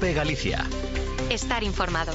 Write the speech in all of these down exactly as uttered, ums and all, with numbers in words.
COPE Galicia. Estar informado.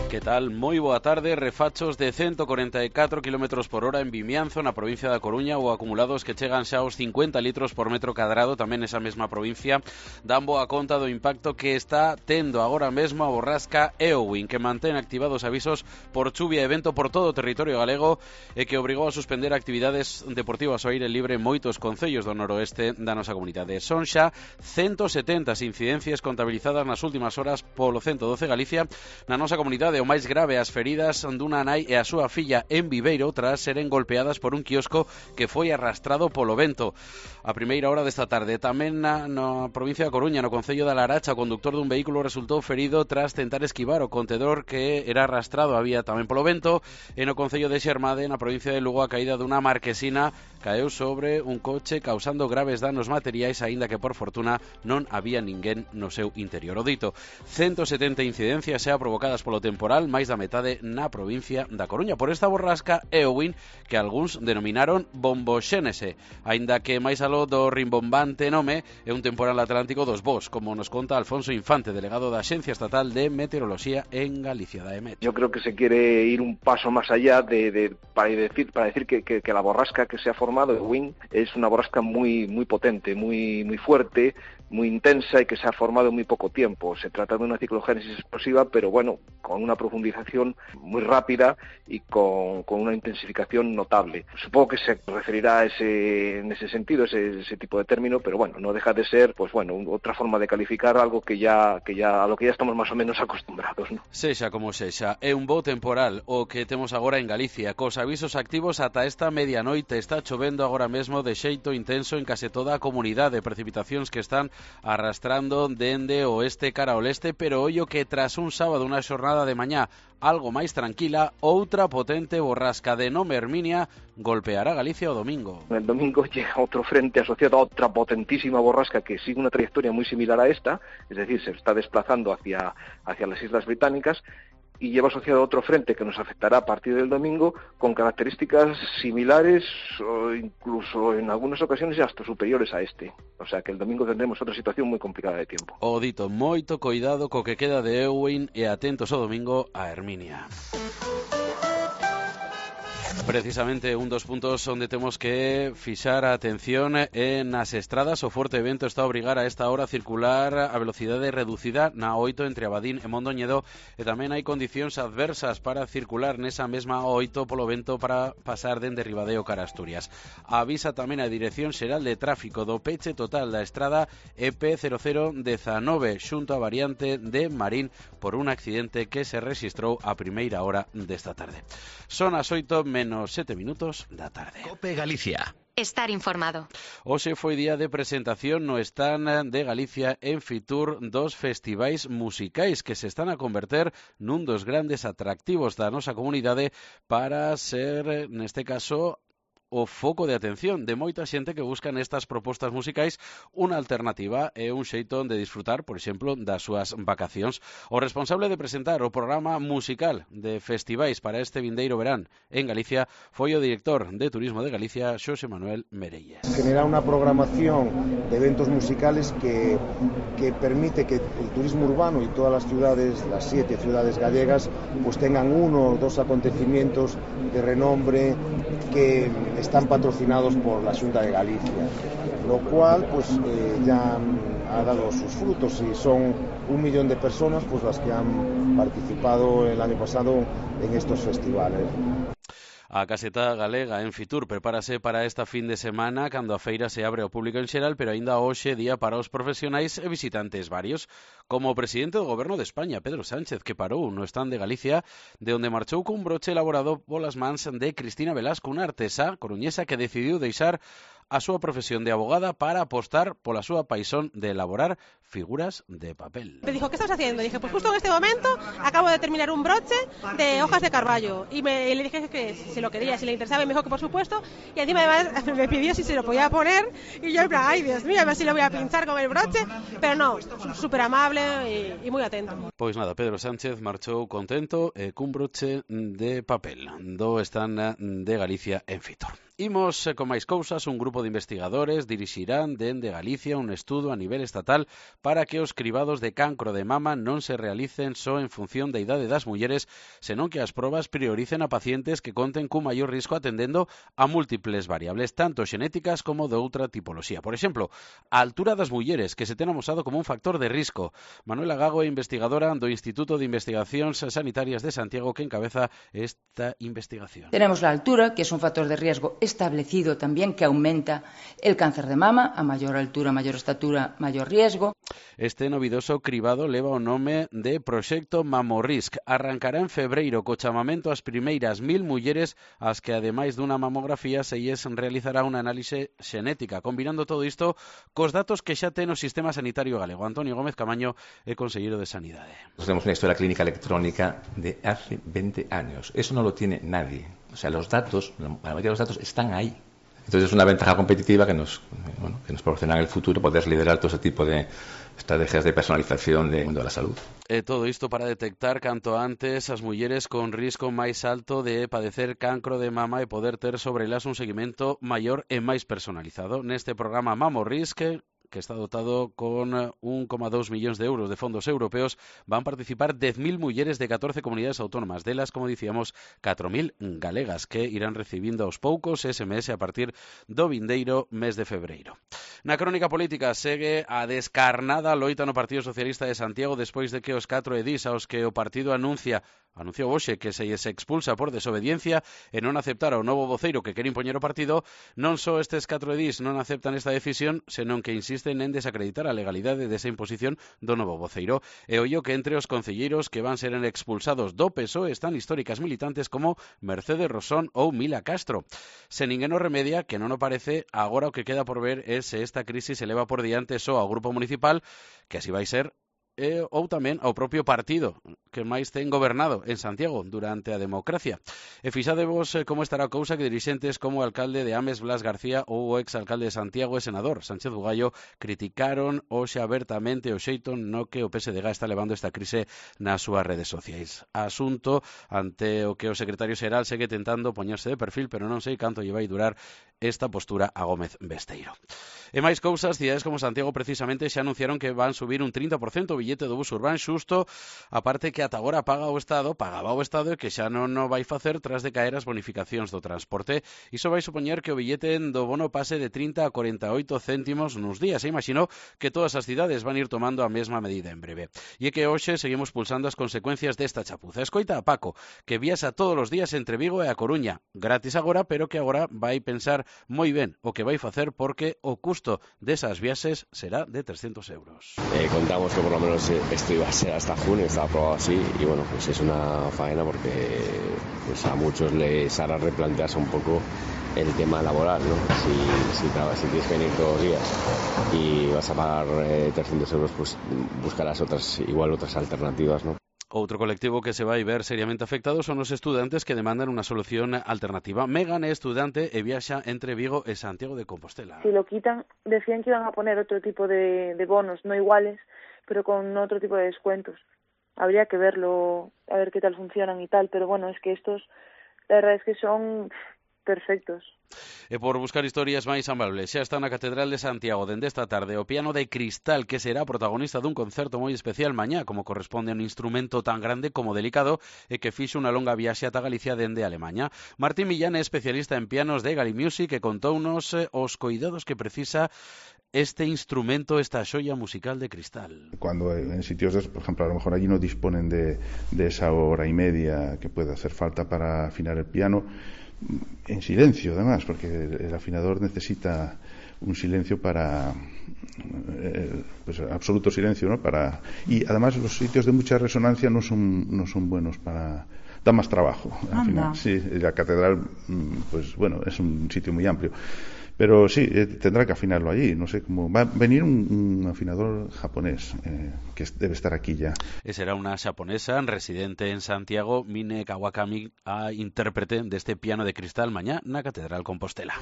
Que tal? Moi boa tarde. Refachos de ciento cuarenta y catro kilómetros por hora en Vimianzo, na provincia da Coruña, ou acumulados que chegan xa aos cincuenta litros por metro cadrado, tamén nesa mesma provincia, dan boa conta do impacto que está tendo agora mesmo a borrasca Eowyn, que mantén activados avisos por chuvia e vento por todo o territorio galego e que obrigou a suspender actividades deportivas ao aire libre en moitos concellos do noroeste da nosa comunidade. Son xa ciento setenta as incidencias contabilizadas nas últimas horas polo ciento doce Galicia na nosa comunidade. O máis grave, as feridas dunha nai e a súa filla en Viveiro tras seren golpeadas por un quiosco que foi arrastrado polo vento. A primeira hora desta tarde, tamén na, na provincia da Coruña, no concello da Laracha, o conductor dun vehículo resultou ferido tras tentar esquivar o contedor que era arrastrado a vía tamén polo vento. E no concello de Xermade, na provincia de Lugo, a caída dunha marquesina caeu sobre un coche causando graves danos materiais, aínda que por fortuna non había ninguén no seu interior. O dito, ciento setenta incidencias xa provocadas polo temporal, máis da metade na provincia da Coruña, por esta borrasca Eowyn, que algúns denominaron bomboxénese, aínda que máis aló do rimbombante nome é un temporal atlántico dos bos, como nos conta Alfonso Infante, delegado da Axencia Estatal de Meteoroloxía en Galicia, da EMET. Yo creo que se quiere ir un paso más allá de, de para decir para decir que, que, que la borrasca que se ha formado, Eowyn, es una borrasca muy muy potente, muy muy fuerte, muy intensa y que se ha formado en muy poco tiempo. Se trata de una ciclogénesis explosiva, pero bueno, con una profundización muy rápida y con, con una intensificación notable. Supongo que se referirá a ese, en ese sentido, ese, ese tipo de término, pero bueno, no deja de ser, pues bueno, otra forma de calificar algo que ya, que ya a lo que ya estamos más o menos acostumbrados, ¿no? Sexa como sexa, é un bo temporal o que temos agora en Galicia, cos avisos activos ata esta medianoite. Está chovendo agora mesmo de xeito intenso en case toda a comunidade, precipitacións que están arrastrando dende o oeste cara ao leste, pero ollo que tras un sábado, unha xornada de mañá algo máis tranquila, outra potente borrasca de nome Herminia golpeará Galicia o domingo. El domingo llega otro frente asociado a otra potentísima borrasca que sigue una trayectoria muy similar a esta, es decir, se está desplazando hacia, hacia las Islas Británicas, y lleva asociado otro frente que nos afectará a partir del domingo con características similares o incluso en algunas ocasiones hasta superiores a este. O sea que el domingo tendremos otra situación muy complicada de tiempo. O dito, moito coidado co que queda de Eowyn e atentos ao domingo a Herminia. Precisamente un dos puntos onde temos que fixar a atención é nas estradas. O forte vento está a obrigar a esta hora a circular a velocidade reducida na oito entre Abadín e Mondoñedo, e tamén hai condicións adversas para circular nesa mesma oito polo vento para pasar dende Ribadeo cara Asturias. Avisa tamén a Dirección Xeral de Tráfico do peche total da estrada E P cero cero diecinueve xunto a variante de Marín por un accidente que se rexistrou a primeira hora desta tarde. Son as oito menos sete minutos da tarde. COPE Galicia. Estar informado. Hoxe foi día de presentación no stand de Galicia en Fitur dos festivais musicais que se están a converter nun dos grandes atractivos da nosa comunidade para ser, neste caso, o foco de atención de moita xente que busca nestas propostas musicais unha alternativa e un xeito de disfrutar, por exemplo, das súas vacacións. O responsable de presentar o programa musical de festivais para este vindeiro verán en Galicia foi o director de Turismo de Galicia, Xosé Manuel Merelles. Generar una programación de eventos musicales que, que permite que el turismo urbano y todas las ciudades, las siete ciudades gallegas, pues tengan uno o dos acontecimientos de renombre que están patrocinados por la Xunta de Galicia, lo cual pues eh, ya ha dado sus frutos y son un millón de personas pues las que han participado el año pasado en estos festivales. A caseta galega en Fitur prepárase para esta fin de semana cando a feira se abre ao público en xeral, pero aínda hoxe día para os profesionais e visitantes varios, como o presidente do Goberno de España, Pedro Sánchez, que parou no stand de Galicia, de onde marchou cun broche elaborado polas mans de Cristina Velasco, unha artesá coruñesa que decidiu deixar a súa profesión de abogada para apostar pola súa paixón de elaborar figuras de papel. Me dijo, ¿qué estás haciendo? Dije, pues justo en este momento acabo de terminar un broche de hojas de Carballo. Y, me, y le dije que si lo quería, si le interesaba, y me dijo que por supuesto. Y encima además me pidió si se lo podía poner. Y yo en plan, ay Dios mío, a ver si lo voy a pinchar con el broche. Pero no, súper amable y, y muy atento. Pois nada, Pedro Sánchez marchou contento e cun broche de papel do stand de Galicia en Fitur. Imos con máis cousas. Un grupo de investigadores dirixirán dende Galicia un estudo a nivel estatal para que os cribados de cancro de mama non se realicen só en función da idade das mulleres, senón que as probas prioricen a pacientes que conten cun maior risco atendendo a múltiples variables, tanto xenéticas como de outra tipoloxía. Por exemplo, a altura das mulleres, que se ten amosado como un factor de risco. Manuela Gago é investigadora do Instituto de Investigacións Sanitarias de Santiago, que encabeza esta investigación. Tenemos la altura, que es un factor de riesgo establecido también, que aumenta el cáncer de mama. A mayor altura, mayor estatura, mayor riesgo. Este novidoso cribado leva o nome de Proxecto Mamorrisc. Arrancará en febreiro co chamamento ás primeiras mil mulleres ás que, ademais dunha mamografía, se lles realizará unha análise xenética, combinando todo isto cos datos que xa ten o sistema sanitario galego. Antonio Gómez Camaño é conselleiro de Sanidade. Tenemos una historia clínica electrónica de hace veinte años. Eso no lo tiene nadie. O sea, los datos, la mayoría de los datos están ahí. Entonces es una ventaja competitiva que nos, bueno, que nos proporciona en el futuro poder liderar todo ese tipo de estrategias de personalización del mundo de la salud. E todo isto para detectar canto antes as mulleres con risco máis alto de padecer cancro de mama e poder ter sobre elas un seguimento maior e máis personalizado. Neste programa Mamorrisc, que está dotado con un coma dos millóns de euros de fondos europeos, van participar dez mil mulleres de catorce comunidades autónomas, delas, como dicíamos, catro mil galegas, que irán recibindo aos poucos S M S a partir do vindeiro mes de febreiro. Na crónica política segue a descarnada loita no Partido Socialista de Santiago despois de que os catro edís aos que o partido anuncia anunciou hoxe que se lles expulsa por desobediencia e non aceptar o novo voceiro que quere impoñer o partido, non só estes catro edís non aceptan esta decisión, senón que insisten en desacreditar a legalidade desa imposición do novo voceiro. E ollo que entre os concelleiros que van ser expulsados do P S O E están históricas militantes como Mercedes Rosón ou Mila Castro. Se ninguén o remedia, que non o parece, agora o que queda por ver é se esta crisis se leva por diante só ao grupo municipal, que así vai ser, E, ou tamén ao propio partido que máis ten gobernado en Santiago durante a democracia. E fixadevos como estará a cousa que dirixentes como o alcalde de Ames, Blas García, ou o exalcalde de Santiago e senador Sánchez Bugallo criticaron hoxe abertamente o xeito no que o P S D G está levando esta crise nas súas redes sociais. Asunto ante o que o secretario xeral segue tentando poñerse de perfil, pero non sei canto lle vai durar esta postura a Gómez Besteiro. E máis cousas, cidades como Santiago precisamente xa anunciaron que van subir un trinta por cento o billete do bus urbán, xusto a parte que ata agora paga o Estado, pagaba o Estado e que xa non o vai facer tras de caer as bonificacións do transporte. Iso vai supoñer que o billete do bono pase de trinta a corenta e oito céntimos nos días. E imagino que todas as cidades van ir tomando a mesma medida en breve. E é que hoxe seguimos pulsando as consecuencias desta chapuza. Escoita a Paco, que viaxa todos os días entre Vigo e a Coruña, gratis agora, pero que agora vai pensar moi ben o que vai facer porque o custo desas viaxes será de trescentos euros. Eh, contamos que por lo menos esto iba a ser hasta junio, estaba aprobado así y bueno, pues es una faena porque pues a muchos les hará replantearse un poco el tema laboral, ¿no? Si, si, si tienes que venir todos los días y vas a pagar eh, trescentos euros, pues buscarás otras, igual otras alternativas, ¿no? Outro colectivo que se vai ver seriamente afectado son os estudantes que demandan unha solución alternativa. Megan é estudante e viaxa entre Vigo e Santiago de Compostela. Si lo quitan, decían que iban a poner otro tipo de, de bonos, no iguales, pero con otro tipo de descuentos. Habría que verlo, a ver qué tal funcionan y tal, pero bueno, es que estos, la verdad es que son perfectos. E por buscar historias máis amables, xa está na Catedral de Santiago dende esta tarde o piano de cristal, que será protagonista dun concerto moi especial mañá, como corresponde a un instrumento tan grande como delicado e que fixo unha longa viaxe ata Galicia dende Alemanha. Martín Millán é especialista en pianos de Gali Music e contounos os coidados que precisa este instrumento, esta xoia musical de cristal. Cuando en sitios de, por ejemplo, a lo mejor allí no disponen de, de esa hora y media que puede hacer falta para afinar el piano, en silencio además, porque el afinador necesita un silencio para eh, pues absoluto silencio, ¿no? Para, y además los sitios de mucha resonancia no son no son buenos para, da más trabajo al final. Sí, la catedral pues bueno, es un sitio muy amplio. Pero sí, eh, tendrá que afinarlo allí. No sé cómo. Va a venir un, un afinador japonés eh, que debe estar aquí ya. E será unha xaponesa residente en Santiago, Mine Kawakami, a intérprete deste piano de cristal mañá na Catedral Compostela.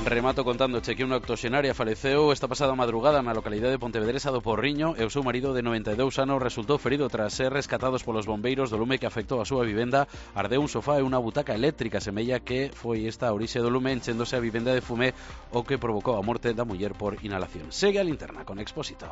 Remato contándoche que unha octoxenaria faleceu esta pasada madrugada na localidade de Pontevedresa do Porriño e o seu marido de noventa e dous anos resultou ferido tras ser rescatados polos bombeiros do lume que afectou a súa vivenda. Ardeu un sofá e unha butaca eléctrica, semella que foi esta a orixe do lume enchéndose a vivenda de fume, o que provocou a morte da muller por inhalación. Segue a linterna con Expósito.